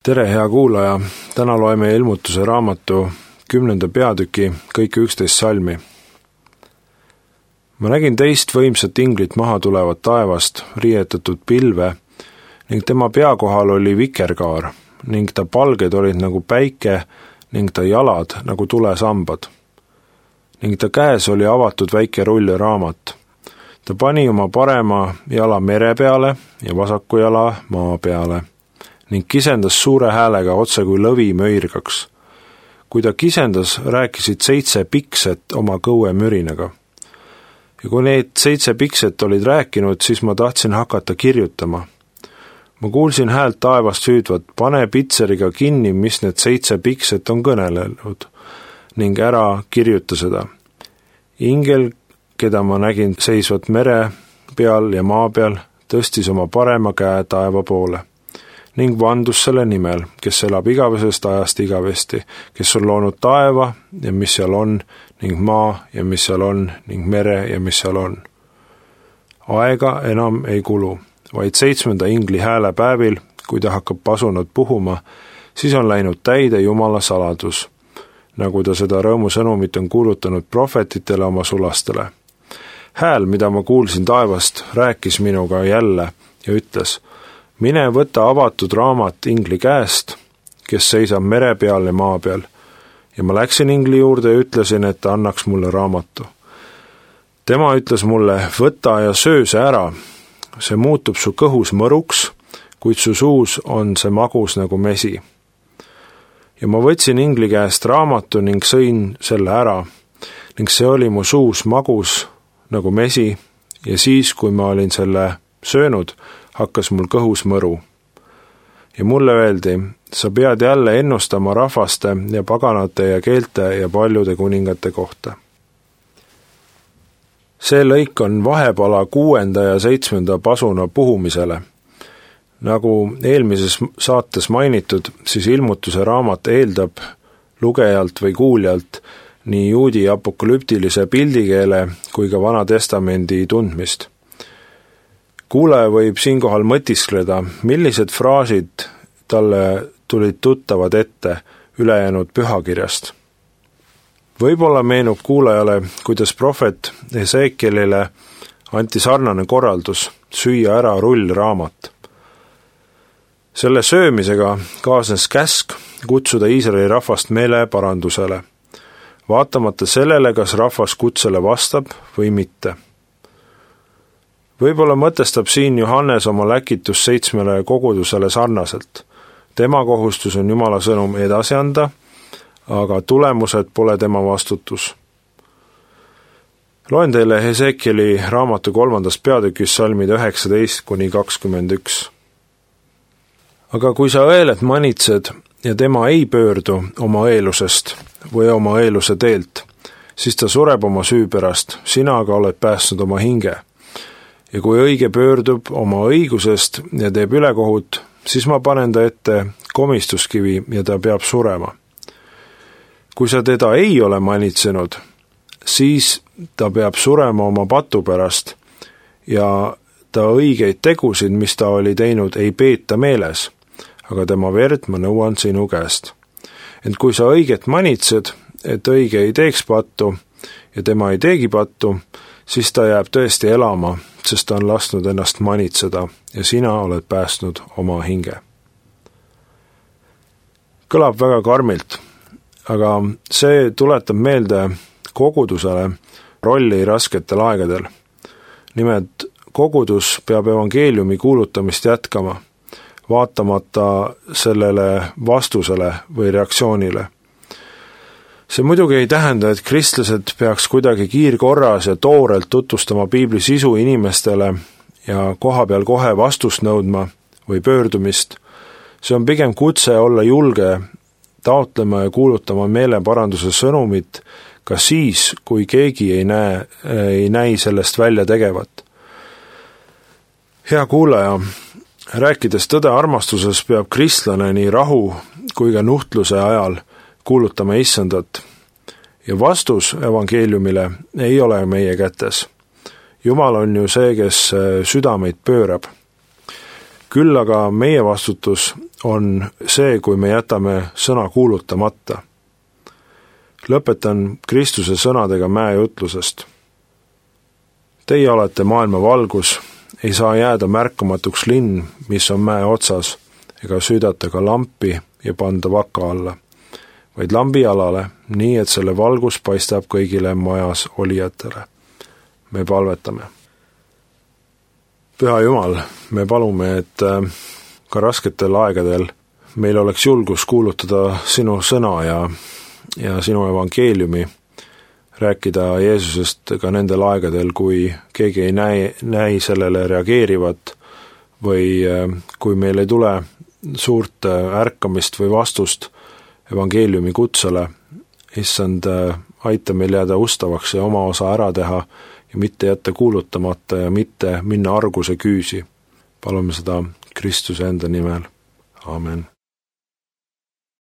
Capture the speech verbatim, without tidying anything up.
Tere, hea kuulaja! Täna loeme Ilmutuse raamatu kümnenda peatüki kõik üksteist salmi. Ma nägin teist võimsat inglit maha tulevat taevast, riietatud pilve, ning tema pea kohal oli vikerkaar, ning ta palged olid nagu päike, ning ta jalad nagu tulesambad. Ning ta käes oli avatud väike rullraamat. Ta pani oma parema jala mere peale ja vasaku jala maa peale. Ning kisendas suure häälega otse kui lõvi möirgaks. Kui ta kisendas, rääkisid seitse pikset oma kõue mürinaga. Ja kui need seitse pikset olid rääkinud, siis ma tahtsin hakata kirjutama. Ma kuulsin häält taevast hüüdvat, pane pitseriga kinni, mis need seitse pikset on kõnelenud, ning ära kirjuta seda. Ingel, keda ma nägin seisvat mere peal ja maa peal, tõstis oma parema käe taeva poole. Ning vandus selle nimel, kes elab igavesest ajast igavesti, kes on loonud taeva ja mis seal on, ning maa ja mis seal on, ning mere ja mis seal on. Aega enam ei kulu, vaid seitsmenda ingli hääle päevil, kui ta hakkab pasunat puhuma, siis on läinud täide Jumala saladus, nagu ta seda rõõmusõnumit on kuulutanud prohvetitele oma sulastele. Hääl, mida ma kuulsin taevast, rääkis minuga jälle ja ütles, mine võta avatud raamat ingli käest, kes seisab mere peal ja maa peal. Ja ma läksin ingli juurde ja ütlesin, et ta annaks mulle raamatu. Tema ütles mulle, võta ja söö see ära. See muutub su kõhus mõruks, kuid su suus on see magus nagu mesi. Ja ma võtsin ingli käest raamatu ning sõin selle ära, ning see oli mu suus magus nagu mesi, ja siis, kui ma olin selle söönud, hakkas mul kõhus mõru. Ja mulle öeldi, sa pead jälle ennustama rahvaste ja paganate ja keelte ja paljude kuningate kohta. See lõik on vahepala kuuenda ja seitsmenda pasuna puhumisele. Nagu eelmises saates mainitud, siis Ilmutuse raamat eeldab lugejalt või kuuljalt nii juudi apokalüptilise pildikeele kui ka Vana Testamendi tundmist. Kuulaja võib siinkohal mõtiskleda, millised fraasid talle tulid tuttavad ette ülejäänud pühakirjast. Võib-olla meenub kuulajale, kuidas prohvet Esekielile anti sarnane korraldus süüa ära rullraamat. Selle söömisega kaasnes käsk kutsuda Iisraeli rahvast meeleparandusele, vaatamata sellele, kas rahvas kutsele vastab või mitte. Võib-olla mõtestab siin Johannes oma läkitus seitsmele kogudusele sarnaselt. Tema kohustus on Jumala sõnum edasi anda, aga tulemused pole tema vastutus. Loen teile Esekieli raamatu kolmandast peatükis salmid üheksateist kuni kakskümmend üks. Aga kui sa õelet manitsed ja tema ei pöördu oma õelusest või oma õeluse teelt, siis ta sureb oma süü pärast, sina aga oled päästnud oma hinge. Ja kui õige pöördub oma õigusest ja teeb ülekohut, siis ma panen ta ette komistuskivi ja ta peab surema. Kui sa teda ei ole manitsenud, siis ta peab surema oma patu pärast ja ta õigeid tegusid, mis ta oli teinud, ei peeta meeles, aga tema verd ma nõuan sinu käest. Ent kui sa õiget manitsed, et õige ei teeks pattu ja tema ei teegi pattu, siis ta jääb tõesti elama, sest ta on lasknud ennast manitseda ja sina oled päästnud oma hinge. Kõlab väga karmilt, aga see tuletab meelde kogudusele rolli rasketel aegadel. Nimelt, kogudus peab evangeeliumi kuulutamist jätkama, vaatamata sellele vastusele või reaktsioonile. See muidugi ei tähenda, et kristlased peaks kuidagi kiirkorras ja toorelt tutvustama piibli sisu inimestele ja koha peal kohe vastust nõudma või pöördumist. See on pigem kutse olla julge taotlema ja kuulutama meeleparanduse sõnumit ka siis, kui keegi ei näe, ei näi sellest välja tegevat. Hea kuulaja, rääkides tõde armastuses peab kristlane nii rahu kui ka nuhtluse ajal kuulutama issandat. Ja vastus evangeeliumile ei ole meie kätes. Jumal on ju see, kes südameid pöörab. Küll aga meie vastutus on see, kui me jätame sõna kuulutamata. Lõpetan Kristuse sõnadega mäejutlusest. Teie olete maailma valgus, ei saa jääda märkamatuks linn, mis on mäe otsas, ega süüdata ka lampi ja panda vaka alla, vaid lambi alale, nii et selle valgus paistab kõigile majas olijatele. Me palvetame. Püha Jumal, me palume, et ka rasketel aegadel meil oleks julgus kuulutada sinu sõna ja, ja sinu evangeeliumi, rääkida Jeesusest ka nendel aegadel, kui keegi ei näi, näi sellele reageerivat või kui meil ei tule suurt ärkamist või vastust evangeeliumi kutsele. Issand, aita meil jääda ustavaks ja oma osa ära teha ja mitte jätta kuulutamata ja mitte minna arguse küüsi. Palume seda Kristuse enda nimel. Amen.